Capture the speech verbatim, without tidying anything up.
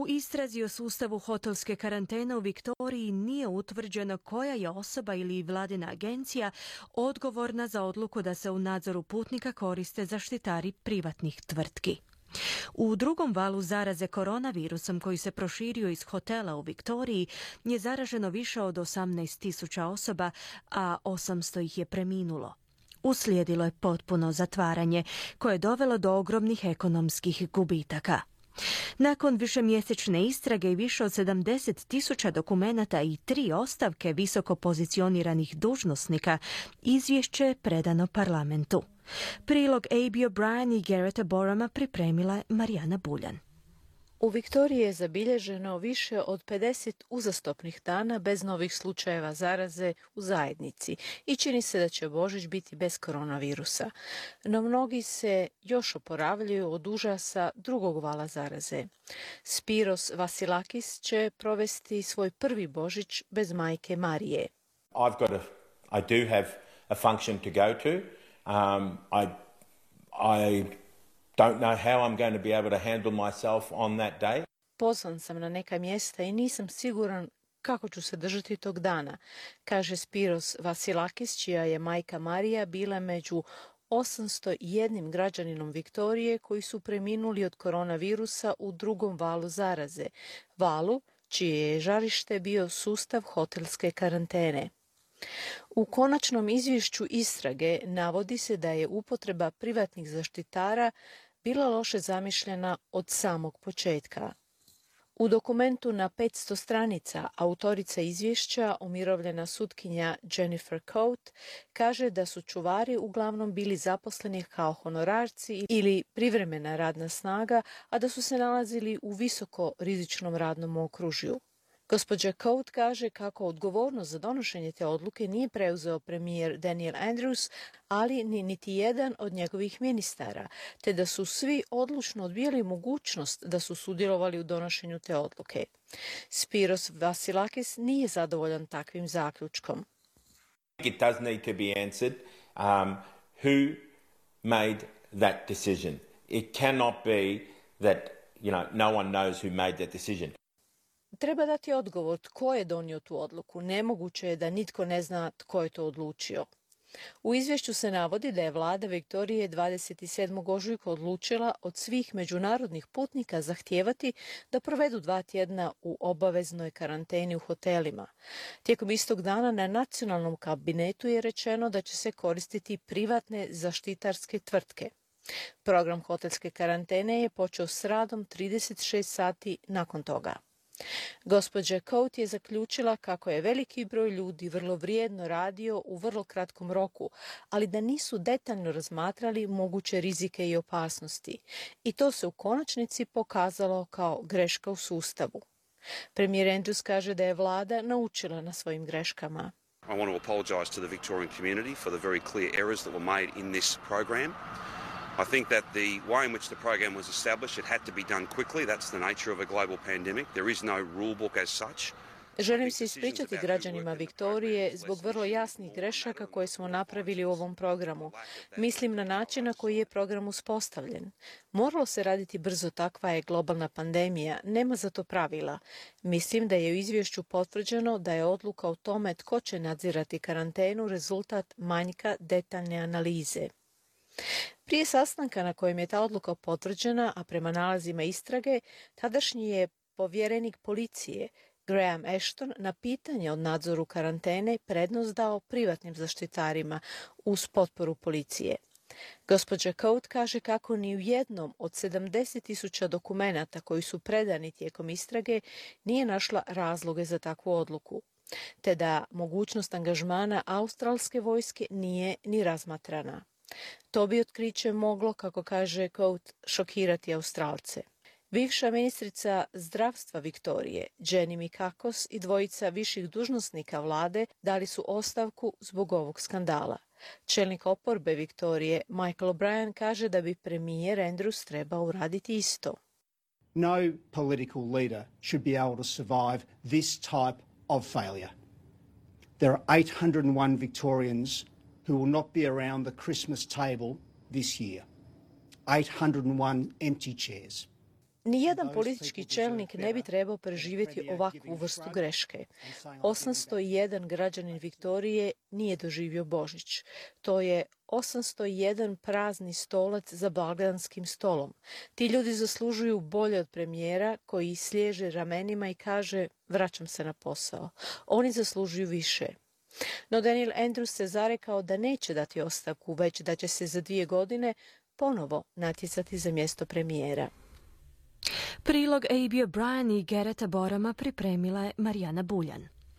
U istrazi o sustavu hotelske karantene u Viktoriji nije utvrđeno koja je osoba ili vladina agencija odgovorna za odluku da se u nadzoru putnika koriste zaštitari privatnih tvrtki. U drugom valu zaraze koronavirusom koji se proširio iz hotela u Viktoriji je zaraženo više od osamnaest tisuća osoba, a osamsto ih je preminulo. Uslijedilo je potpuno zatvaranje koje je dovelo do ogromnih ekonomskih gubitaka. Nakon višemjesečne istrage i više od sedamdeset tisuća dokumenata i tri ostavke visoko pozicioniranih dužnosnika, izvješće je predano parlamentu. Prilog Abby O'Brien i Garretta Borama pripremila je Marijana Buljan. U Viktoriji je zabilježeno više od pedeset uzastopnih dana bez novih slučajeva zaraze u zajednici i čini se da će Božić biti bez koronavirusa. No mnogi se još oporavljaju od užasa drugog vala zaraze. Spiros Vasilakis će provesti svoj prvi Božić bez majke Marije. I've got a, I do have a function to go to. Um, I, I don't know how I'm going to be able to handle myself on that day. Pozvan sam na neka mjesta i nisam siguran kako ću se držati tog dana, kaže Spiros Vasilakis, čija je majka Marija bila među osamsto jedan građaninom Viktorije koji su preminuli od koronavirusa u drugom valu zaraze, valu čije je žarište bio sustav hotelske karantene. U konačnom izvješću istrage navodi se da je upotreba privatnih zaštitara bila loše zamišljena od samog početka. U dokumentu na petsto stranica autorica izvješća, umirovljena sutkinja Jennifer Coate, kaže da su čuvari uglavnom bili zaposleni kao honorarci ili privremena radna snaga, a da su se nalazili u visoko rizičnom radnom okružju. Gospođa Coate kaže kako odgovornost za donošenje te odluke nije preuzeo premijer Daniel Andrews, ali ni niti jedan od njegovih ministara, te da su svi odlučno odbijali mogućnost da su sudjelovali u donošenju te odluke. Spiros Vasilakis nije zadovoljan takvim zaključkom. It does need to be answered. Um, who made that decision? It cannot be that, you know, no one knows who made that decision. Treba dati odgovor tko je donio tu odluku. Nemoguće je da nitko ne zna tko je to odlučio. U izvješću se navodi da je vlada Viktorije dvadeset sedmog ožujka odlučila od svih međunarodnih putnika zahtijevati da provedu dva tjedna u obaveznoj karanteni u hotelima. Tijekom istog dana na nacionalnom kabinetu je rečeno da će se koristiti privatne zaštitarske tvrtke. Program hotelske karantene je počeo s radom trideset šest sati nakon toga. Gospođa Coate je zaključila kako je veliki broj ljudi vrlo vrijedno radio u vrlo kratkom roku, ali da nisu detaljno razmatrali moguće rizike i opasnosti. I to se u konačnici pokazalo kao greška u sustavu. Premijer Andrews kaže da je vlada naučila na svojim greškama. I want to apologise to the Victorian community for the very clear errors that were made in this program. I think that the way in which the program was established, it had to be done quickly. That's the nature of a global pandemic. There is no rule book as such. Želim se ispričati građanima Viktorije zbog vrlo jasnih grešaka koje smo napravili u ovom programu. Mislim na način na koji je program uspostavljen. Moralo se raditi brzo, takva je globalna pandemija, nema za to pravila. Mislim da je u izvješću potvrđeno da je odluka o tome tko će nadzirati karantenu rezultat manjka detaljne analize. Prije sastanka na kojem je ta odluka potvrđena, a prema nalazima istrage, tadašnji je povjerenik policije Graham Ashton na pitanje o nadzoru karantene prednost dao privatnim zaštitarima uz potporu policije. Gospođa Coate kaže kako ni u jednom od sedamdeset tisuća dokumenata koji su predani tijekom istrage nije našla razloge za takvu odluku, te da mogućnost angažmana australske vojske nije ni razmatrana. To bi otkriće moglo, kako kaže Coate, šokirati Australce. Bivša ministrica zdravstva Viktorije, Jenny Mikakos, i dvojica viših dužnosnika vlade dali su ostavku zbog ovog skandala. Čelnik oporbe Viktorije, Michael O'Brien, kaže da bi premijer Andrews trebao uraditi isto. No political leader should be able to survive this type of failure. There are eight hundred one Victorians who will not be around the Christmas table this year. eight hundred one empty chairs. Nijedan politički čelnik ne bi trebao preživjeti ovakvu vrstu greške. osamsto jedan građanin Viktorije nije doživio Božić. To je osamsto jedan prazni stolac za blagdanskim stolom. Ti ljudi zaslužuju bolje od premijera koji sliježe ramenima i kaže vraćam se na posao. Oni zaslužuju više. No Daniel Andrews se zarekao da neće dati ostavku, već da će se za dvije godine ponovo natjecati za mjesto premijera. Prilog A B O'Brien i Gereta Borama pripremila je Marijana Buljan.